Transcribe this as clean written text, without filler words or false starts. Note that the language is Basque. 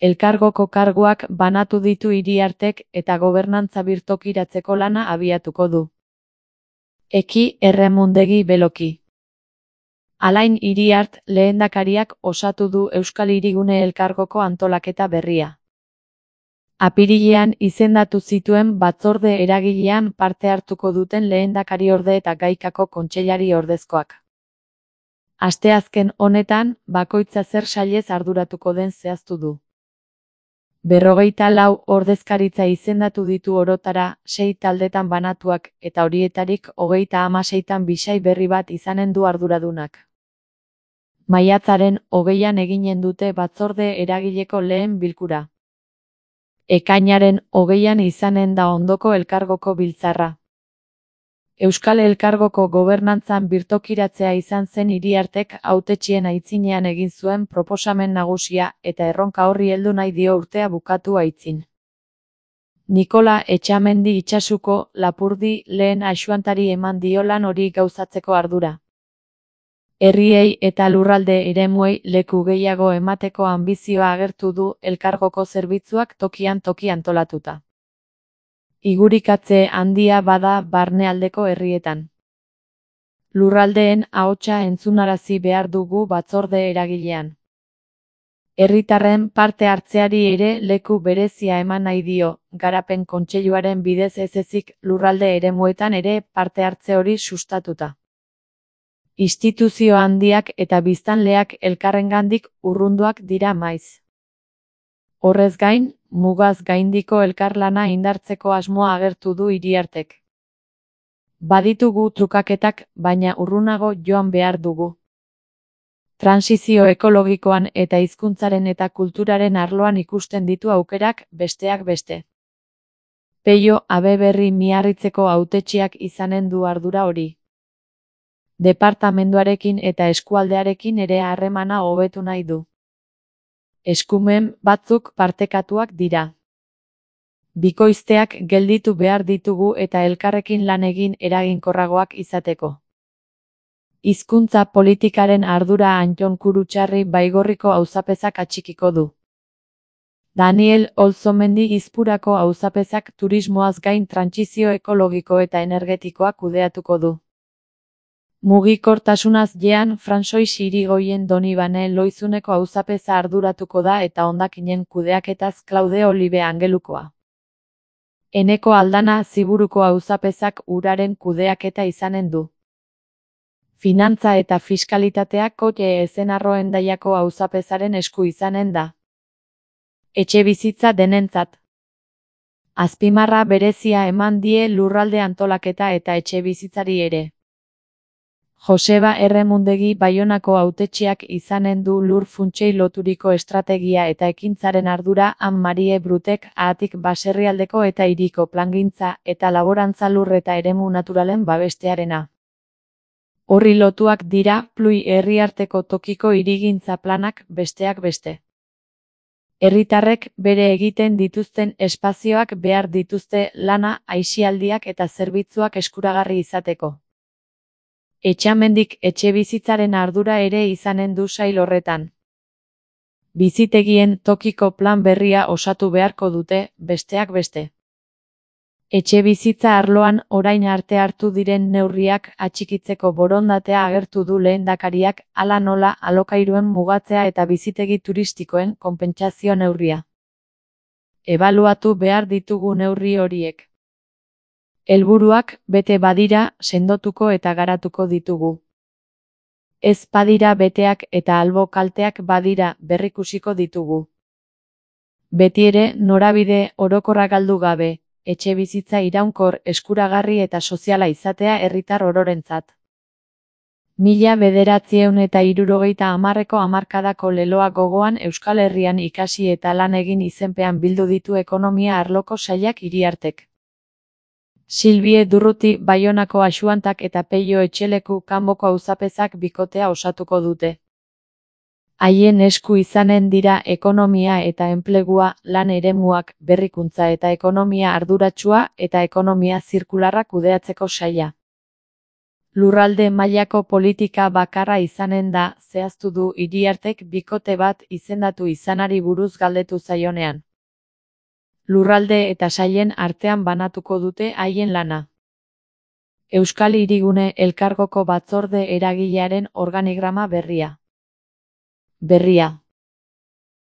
Elkargoko karguak banatu ditu Iriartek eta gobernantza birtokiratzeko lana abiatuko du. Eki Erremundegi Beloki. Alain Iriart lehendakariak osatu du Euskal Hirigune Elkargoko antolaketa berria. Apirilean izendatu zituen batzorde eragilean parte hartuko duten lehendakariorde eta gaikako kontseilari ordezkoak. Asteazken honetan, bakoitza zer sailez arduratuko den zehaztu du. 54 ordezkaritza izendatu ditu orotara, 6 taldetan banatuak, eta horietarik 36 bisai berri bat izanen du arduradunak. Maiatzaren 20an eginen dute batzorde eragileko lehen bilkura. Ekainaren 20an izanen da ondoko elkargoko biltzarra. Euskal Elkargoko gobernantzan birtokiratzea izan zen Iriartek hautetxien aitzinean egin zuen proposamen nagusia eta erronka horri heldu nahi dio urtea bukatu aitzin. Nikola Etxamendi Itsasuko Lapurdi lehen axuantari eman dio lan hori gauzatzeko ardura. Herriei eta lurralde eremuei leku gehiago emateko anbizioa agertu du elkargoko zerbitzuak tokian toki antolatuta. Igurikatze handia bada barnealdeko herrietan. Lurraldeen ahotsa entzunarazi behar dugu batzorde eragilean. Herritarren parte hartzeari ere leku berezia eman nahi dio, garapen kontseiluaren bidez ez ezik lurralde eremuetan ere parte hartze hori sustatuta. Instituzio handiak eta biztanleak elkarrengandik urrunduak dira maiz. Horrez gain, mugaz gaindiko elkarlana indartzeko asmoa agertu du Iriartek. Baditugu trukaketak, baina urrunago joan behar dugu. Transizio ekologikoan eta hizkuntzaren eta kulturaren arloan ikusten ditu aukerak, besteak beste. Peio Abeberri Miarritzeko hautetsiak izanen du ardura hori. Departamenduarekin eta eskualdearekin ere harremana hobetu nahi du. Eskumen batzuk partekatuak dira. Bikoizteak gelditu behar ditugu eta elkarrekin lan egin eraginkorragoak izateko. Hizkuntza politikaren ardura Antton Kurutxarri Baigorriko auzapezak atxikiko du. Daniel Olzomendi Izpurako auzapezak turismoaz gain trantsizio ekologiko eta energetikoa kudeatuko du. Mugikortasunaz jean Fransois Irigoyen Donibane Loizuneko auzapeza arduratuko da eta hondakinen kudeaketaz Klaude Olibe Angelukoa. Eneko Aldana Ziburuko auzapezak uraren kudeaketa izanen du. Finantza eta fiskalitatea Kote Ezenarro-Hendaiako auzapezaren esku izanen da. Etxebizitza denentzat. Azpimarra berezia eman die lurralde antolaketa eta etxebizitzari ere. Joseba Erremundegi Baionako hautetsiak izanen du lur funtsei loturiko estrategia eta ekintzaren ardura Anne-Marie Brutek Ahatik baserrialdeko eta hiriko plangintza eta laborantza lur eta eremu naturalen babestearena. Horri lotuak dira Plui herriarteko tokiko hirigintza planak besteak beste. Herritarrek bere egiten dituzten espazioak behar dituzte lana, aisialdiak eta zerbitzuak eskuragarri izateko. Etxamendik etxebizitzaren ardura ere izanen du sail horretan. Bizitegien tokiko plan berria osatu beharko dute, besteak beste. Etxebizitza arloan orain arte hartu diren neurriak atxikitzeko borondatea agertu du lehendakariak, hala nola alokairuen mugatzea eta bizitegi turistikoen konpentsazio neurria. Ebaluatu behar ditugu neurri horiek. Helburuak bete badira, sendotuko eta garatuko ditugu. Ez badira beteak eta albo kalteak badira, berrikusiko ditugu. Betiere, norabide orokorra galdu gabe, etxebizitza iraunkor, eskuragarri eta soziala izatea herritar ororentzat. 1970ko hamarkadako leloa gogoan Euskal Herrian ikasi eta lan egin izenpean bildu ditu ekonomia arloko sailak Iriartek. Silvie Durruti Baionako axuantak eta Peio Etxeleku Kanboko auzapezak bikotea osatuko dute. Haien esku izanen dira ekonomia eta enplegua, lan eremuak, berrikuntza eta ekonomia arduratsua eta ekonomia zirkularra kudeatzeko saila. Lurralde mailako politika bakarra izanen da, zehaztu du Iriartek bikote bat izendatu izanari buruz galdetu zaionean. Lurralde eta sailen artean banatuko dute haien lana. Euskal Hirigune Elkargoko batzorde eragilearen organigrama berria.